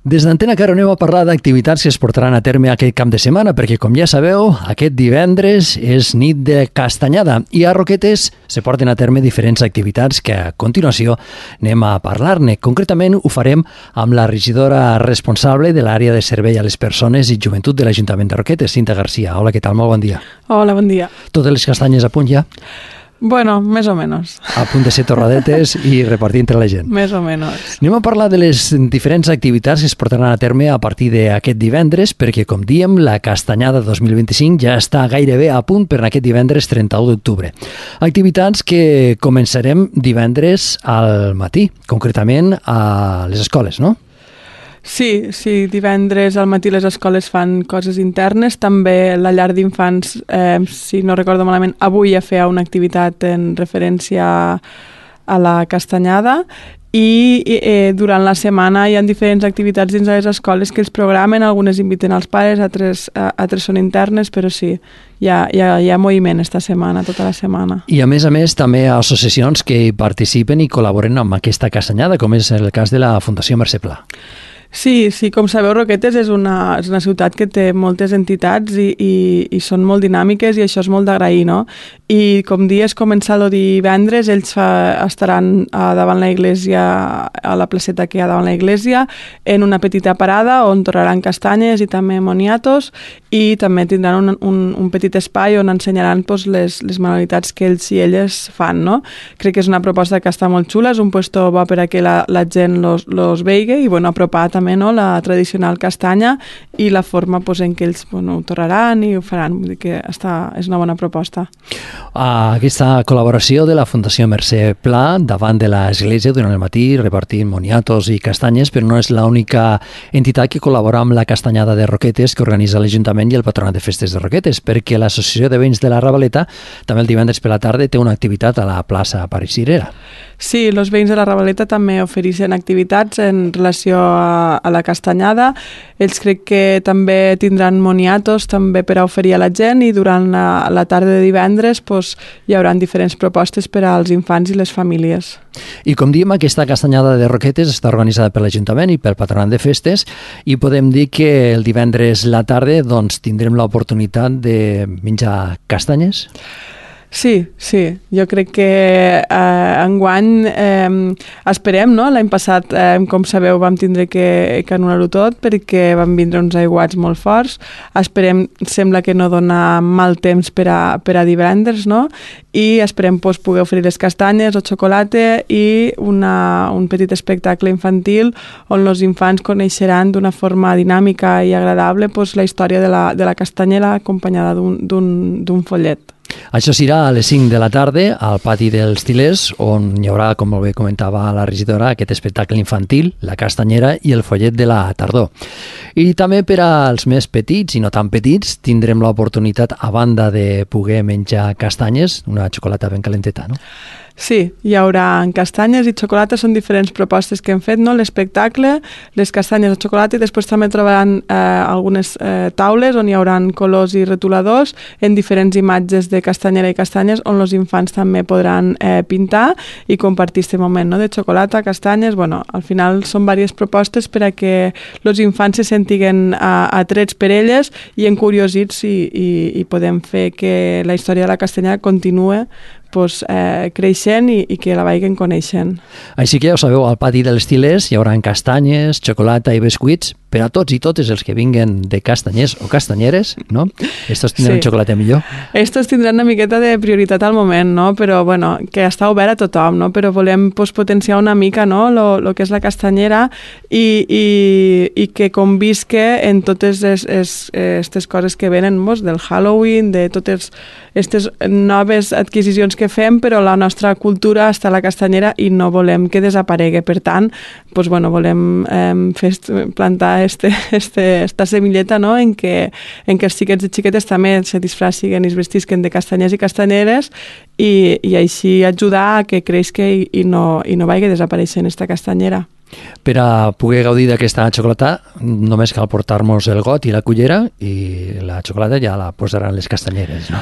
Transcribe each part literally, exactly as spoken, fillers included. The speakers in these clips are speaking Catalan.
Des d'Antena Caro anem a parlar d'activitats que es portaran a terme aquest cap de setmana, perquè, com ja sabeu, aquest divendres és nit de castanyada i a Roquetes se porten a terme diferents activitats que a continuació anem a parlar-ne. Concretament ho farem amb la regidora responsable de l'àrea de servei a les persones i joventut de l'Ajuntament de Roquetes, Cinta Garcia. Hola, què tal? Molt bon dia. Hola, bon dia. Totes les castanyes a punt ja? Bueno, més o menys. A punt de ser torradetes i repartir entre la gent. Més o menys. Anem a parlar de les diferents activitats que es portaran a terme a partir d'aquest divendres, perquè, com diem, la castanyada dos mil vint-i-cinc ja està gairebé a punt per aquest divendres trenta-u d'octubre. Activitats que començarem divendres al matí, concretament a les escoles, no? Sí, sí, divendres al matí les escoles fan coses internes, també la llar d'infants, eh, si no recordo malament, avui ja feia una activitat en referència a la castanyada i eh, durant la setmana hi ha diferents activitats dins de les escoles que els programen, algunes inviten als pares, altres, altres són internes, però sí, hi ha, hi ha, hi ha moviment esta setmana, tota la setmana. I a més a més també hi ha associacions que hi participen i col·laboren amb aquesta castanyada, com és el cas de la Fundació Mercè Pla. Sí, sí, com sabeu, Roquetes és una, és una ciutat que té moltes entitats i, i, i són molt dinàmiques i això és molt d'agrair, no? I com dies comença el divendres, ells fa, estaran a davant la iglesia, a la placeta que hi ha davant la iglesia, en una petita parada on torraran castanyes i també moniatos i també tindran un, un, un petit espai on ensenyaran pues, les, les manualitats que ells i elles fan, no? Crec que és una proposta que està molt xula, és un puesto bo per a que la, la gent los, los veigui i bueno, apropar també, no, la tradicional castanya i la forma pues, en què ells bueno, ho torraran i ho faran. Vull dir que està, és una bona proposta. Uh, aquesta col·laboració de la Fundació Mercè Pla davant de l'església durant el matí repartint moniatos i castanyes, però no és l'única entitat que col·labora amb la castanyada de Roquetes que organitza l'Ajuntament i el Patronat de Festes de Roquetes, perquè l'Associació de Veïns de la Ravaleta també el divendres per la tarda té una activitat a la plaça Parisirera. Sí, els veïns de la Ravaleta també ofereixen activitats en relació a, a la castanyada. Ells crec que també tindran moniatos també per a oferir a la gent i durant la, la tarda de divendres pues, hi haurà diferents propostes per als infants i les famílies. I com diem, aquesta castanyada de Roquetes està organitzada per l'Ajuntament i pel Patronat de Festes i podem dir que el divendres a la tarda doncs, tindrem l'oportunitat de menjar castanyes? Sí, sí, jo crec que eh, enguany eh, esperem, no? L'any passat, eh, com sabeu, vam tindre que, que anul·lar-ho tot perquè van vindre uns aiguats molt forts. Esperem, sembla que no dona mal temps per a, per a divendres, no? I esperem pues, poder oferir les castanyes o xocolata i una, un petit espectacle infantil on els infants coneixeran d'una forma dinàmica i agradable pues, la història de la, de la castanyera acompanyada d'un follet. Això serà a les cinc de la tarda al pati dels Til·lers, on hi haurà, com molt bé comentava la regidora, aquest espectacle infantil, la castanyera i el follet de la tardor. I també per als més petits i no tan petits tindrem l'oportunitat, a banda de poder menjar castanyes, una xocolata ben calenteta, no? Sí, hi haurà castanyes i xocolata, són diferents propostes que hem fet, no? L'espectacle, les castanyes o xocolata i després també trobaran eh, algunes eh, taules on hi haurà colors i retoladors en diferents imatges de castanyera i castanyes on els infants també podran eh, pintar i compartir aquest moment, no? De xocolata, castanyes, bueno, al final són diverses propostes per a que els infants se sentiguen atrets per elles i encuriosits i, i, i podem fer que la història de la castanyera continue pues, eh, creixent i, i que la vagin coneixent. Així que ja ho sabeu, al pati dels Til·lers hi haurà castanyes, xocolata i biscuits per a tots i totes els que vinguen de castanyers o castanyeres, no? Estos tindran sí. Xocolata millor. Estos tindran una miqueta de prioritat al moment, no? Però, bueno, que està obert a tothom, no? Però volem pues, potenciar una mica, no?, lo, lo que és la castanyera i, i, i que convisque en totes aquestes coses que venen mos, del Halloween, de totes aquestes noves adquisicions que fem, però la nostra cultura està a la castanyera i no volem que desaparegui. Per tant, pues, bueno, volem eh, fer, plantar este, este, esta semilleta, no?, en què en que els xiquets i xiquetes també se disfraciguen i es vestisquen de castanyers i castanyeres i, i així ajudar a que creixi i, i no, i no vagi desapareixent esta castanyera. Per a poder gaudir d'aquesta xocolata només cal portar-nos el got i la cullera i la xocolata ja la posaran les castanyeres, no?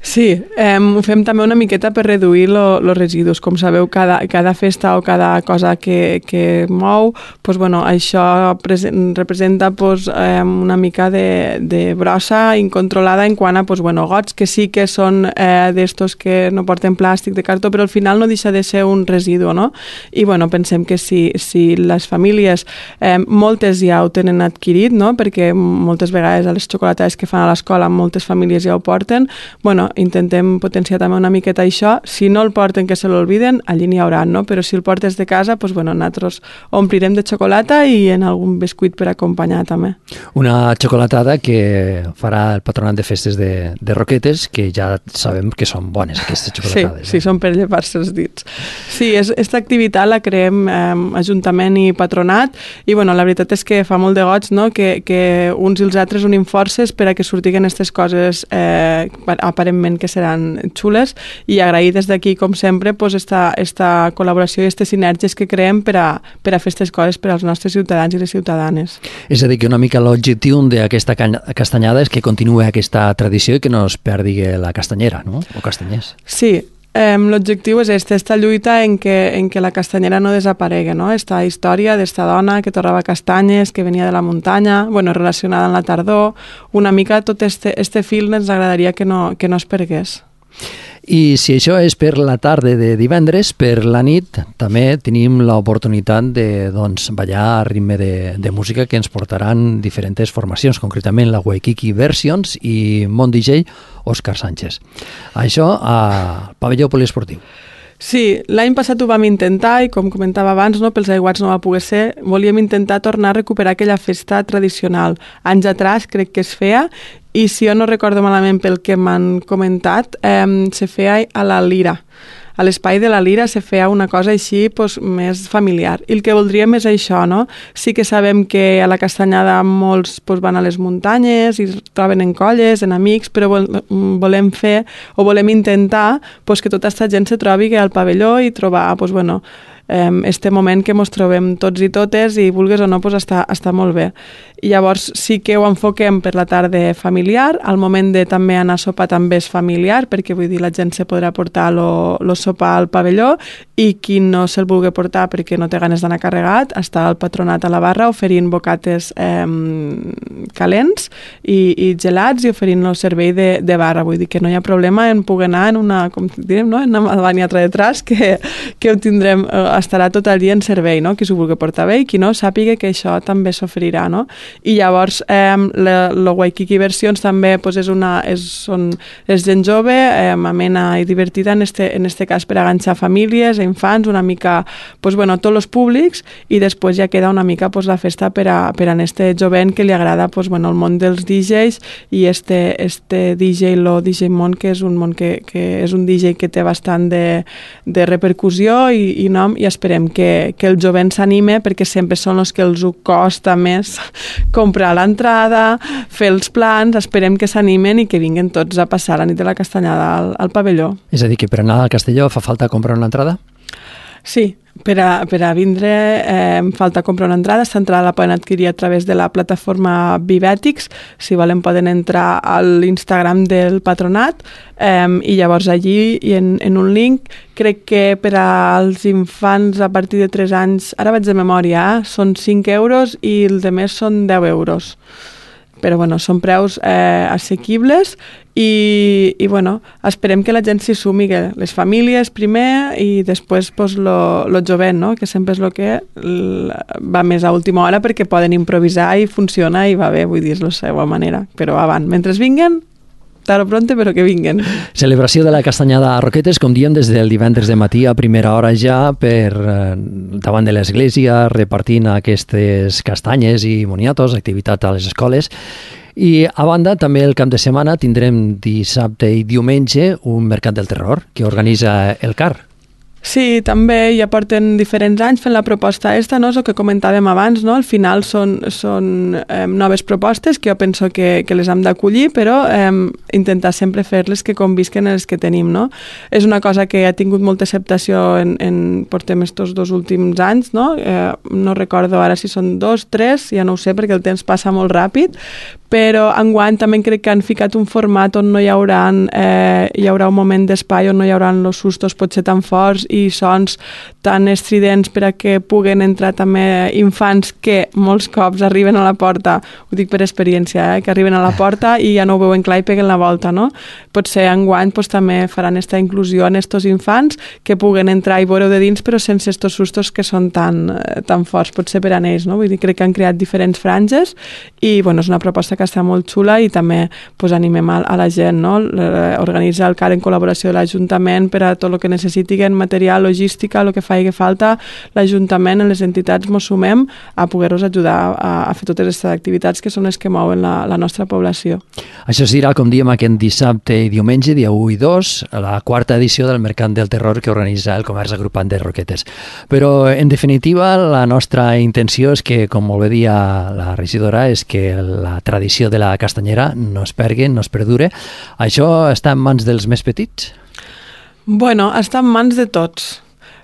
Sí, eh, ho fem també una miqueta per reduir els residus. Com sabeu, cada, cada festa o cada cosa que, que mou, pues, bueno, això representa pues, eh, una mica de, de brossa incontrolada en quant a pues, bueno, gots que sí que són eh, d'estos que no porten plàstic, de cartó, però al final no deixa de ser un residu, no? I bueno, pensem que si, si les famílies, eh, moltes ja ho tenen adquirit, no? Perquè moltes vegades a les xocolatades que fan a l'escola moltes famílies ja ho porten, bueno, intentem potenciar també una miqueta això. Si no el porten, que se l'olviden, allí n'hi haurà, no? Però si el portes de casa, pues, bueno, nosaltres omplirem de xocolata i en algun biscuit per acompanyar també. Una xocolatada que farà el Patronat de Festes de, de Roquetes, que ja sabem que són bones, aquestes xocolatades. Sí, sí, eh? Són per llepar-se els dits. Sí, aquesta activitat la creem eh, Ajuntament i Patronat i, bueno, la veritat és que fa molt de goig, no?, que, que uns i els altres unim forces per a que sortiguen aquestes coses eh, aparentment que seran xules i agrair des d'aquí, com sempre, pues, esta, esta col·laboració i aquestes sinergies que creem per a, per a fer aquestes coses per als nostres ciutadans i les ciutadanes. És a dir, que una mica l'objectiu d'aquesta castanyada és que continuï aquesta tradició i que no es perdi la castanyera, no?, o castanyers. Sí, Eh, l'objectiu és este, esta lluita en què, en què la castanyera no desaparegui, no? Esta història d'esta dona que torrava castanyes, que venia de la muntanya, bueno, relacionada amb la tardor, una mica tot este, este fil ens agradaria que no, que no es pergués. I si això és per la tarda de divendres, per la nit també tenim l'oportunitat de doncs, ballar a ritme de, de música que ens portaran diferents formacions, concretament la Waikiki Versions i Mon D J Òscar Sánchez. Això al pavelló poliesportiu. Sí, l'any passat ho vam intentar i, com comentava abans, no, pels aiguats no va poder ser, volíem intentar tornar a recuperar aquella festa tradicional. Anys atrás crec que es feia i, si jo no recordo malament pel que m'han comentat, eh, se feia a la Lira. A l'espai de la Lira se feia una cosa així pues, més familiar. I el que voldríem és això, no? Sí que sabem que a la castanyada molts pues, van a les muntanyes i es troben en colles, en amics, però volem fer o volem intentar pues, que tota aquesta gent se trobi al pavelló i trobar pues, bueno, este moment que ens trobem tots i totes i vulgues o no, pues, està, està molt bé. I llavors sí que ho enfoquem per la tarda familiar, al moment de també anar a sopar també és familiar, perquè vull dir, la gent se podrà portar el sopar al pavelló i qui no se'l vulgui portar perquè no té ganes d'anar carregat, està el Patronat a la barra oferint bocates eh, calents i, i gelats i oferint el servei de, de barra. Vull dir que no hi ha problema en poder anar en una, com direm, no? en una banyatra de tras que, que ho tindrem, estarà tot el dia en servei, no? Qui s'ho vulgui portar bé i qui no, sàpiga que això també s'oferirà, no? I llavors eh, la, la Waikiki Versions també pues, és una, és, són, és gent jove, eh, amena i divertida en este, en este cas per a enganxar famílies, infants, una mica, pues, bueno, tots els públics i després ja queda una mica pues, la festa per a, per a este jovent que li agrada pues, bueno, el món dels D Js i este, este D J, lo D J Món, que és un món que, que és un D J que té bastant de, de repercussió i, i nom i esperem que, que el jovent s'anime perquè sempre són els que els ho costa més comprar l'entrada, fer els plans, esperem que s'animen i que vinguen tots a passar la nit de la castanyada al, al pavelló. És a dir, que per anar al Castelló fa falta comprar una entrada? Sí, per a, per a vindre eh, falta comprar una entrada. Aquesta entrada la poden adquirir a través de la plataforma Vivètics. Si volen poden entrar a l'Instagram del Patronat eh, i llavors allí i en, en un link, crec que per als infants a partir de tres anys, ara vaig de memòria, eh, són cinc euros i el de més són deu euros. Però bueno, són preus eh, assequibles i, i bueno, esperem que la gent s'hi sumi, que les famílies primer i després pues, lo, lo jovent, no? Que sempre és el que va més a última hora perquè poden improvisar i funciona i va bé, vull dir, és la seva manera. Però avant, mentre vinguen, tard o pronte, però que vinguen. Celebració de la castanyada a Roquetes, com diem, des del divendres de matí a primera hora ja per eh, davant de l'església, repartint aquestes castanyes i moniatos, activitat a les escoles. I a banda, també el cap de setmana tindrem dissabte i diumenge un mercat del terror que organitza el C A R. Sí, també ja porten diferents anys fent la proposta esta, no? És el que comentàvem abans, no? Al final són, són eh, noves propostes que jo penso que, que les hem d'acollir, però eh, intentar sempre fer-les que convisquen els que tenim, no? És una cosa que ha tingut molta acceptació en, en portem estos dos últims anys, no? Eh, no recordo ara si són dos, tres, ja no ho sé perquè el temps passa molt ràpid, però enguany també crec que han ficat un format on no hi haurà, eh, hi haurà un moment d'espai on no hi haurà els sustos potser tan forts i sons tan estridents per a que puguen entrar també infants que molts cops arriben a la porta, ho dic per experiència, eh, que arriben a la porta i ja no ho veuen clar i peguen la volta, no? Potser enguany pues, també faran aquesta inclusió en estos infants que puguen entrar i veure de dins però sense estos sustos que són tan, tan forts, potser per a ells, no? Vull dir, crec que han creat diferents franges i bueno, és una proposta que està molt xula i també pues, animem a, a la gent, no? Organitza el C A R en col·laboració de l'Ajuntament per a tot el que necessitin, material, logística, el que faci que falta, l'Ajuntament, les entitats mos sumem a poder-los ajudar a, a fer totes aquestes activitats que són les que mouen la, la nostra població. Això serà, com diem, aquest dissabte i diumenge, dia u i dos, la quarta edició del Mercat del Terror que organitza el Comerç Agrupat de Roquetes. Però, en definitiva, la nostra intenció és que, com molt bé dia la regidora, és que la tradició de la castanyera no es pergui, no es perdure. Això està en mans dels més petits? Bueno, està en mans de tots,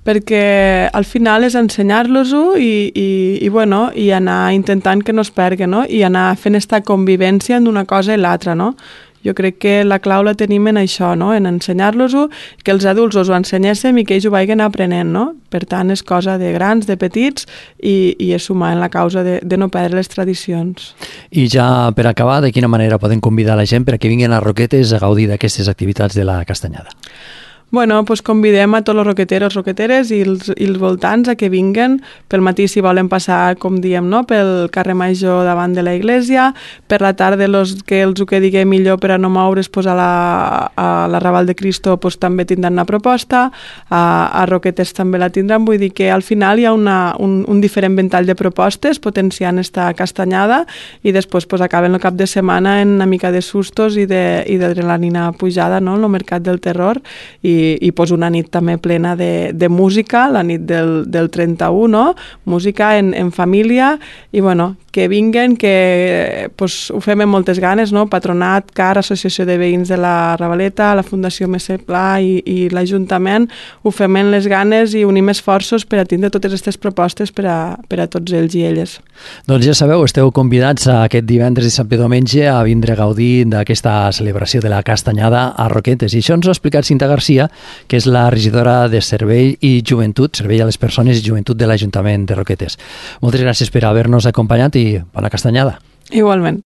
perquè al final és ensenyar-los-ho i, i, i, bueno, i anar intentant que no es pergui, no? I anar fent esta convivència d'una cosa i l'altra, no? Jo crec que la clau la tenim en això, no? En ensenyar-los-ho, que els adults us ho ensenyéssim i que ells ho vagin aprenent, no? Per tant, és cosa de grans, de petits i, i és sumar en la causa de, de no perdre les tradicions. I ja per acabar, de quina manera poden convidar la gent perquè vinguin a Roquetes a gaudir d'aquestes activitats de la castanyada? Bueno, pues convidem a tots els roqueteros, roqueteres i els, i els voltants a que vinguen pel matí si volen passar, com diem, no? Pel carrer Major davant de la iglesia, per la tarda los que els ho quedi millor per a no moure's pues, a, la, a la Raval de Cristo pues, també tindran una proposta, a, a Roquetes també la tindran, vull dir que al final hi ha una, un, un diferent ventall de propostes potenciant esta castanyada i després pues, acaben el cap de setmana en una mica de sustos i d'adrenalina pujada, no? En el Mercat del Terror i i, i pues una nit també plena de, de música, la nit del, del trenta-u, no? Música en, en família i bueno, que vinguen, que pues, ho fem amb moltes ganes, no? Patronat, C A R, Associació de Veïns de la Ravaleta, la Fundació Messer Pla i, i l'Ajuntament, ho fem amb les ganes i unim esforços per a tindre totes aquestes propostes per a, per a tots ells i elles. Doncs ja sabeu, esteu convidats a aquest divendres, dissabte i diumenge a vindre a gaudir d'aquesta celebració de la castanyada a Roquetes. I això ens ho ha explicat Cinta Garcia, que és la regidora de Servei i Joventut, Servei a les Persones i Joventut de l'Ajuntament de Roquetes. Moltes gràcies per haver-nos acompanyat i bona castanyada. Igualment.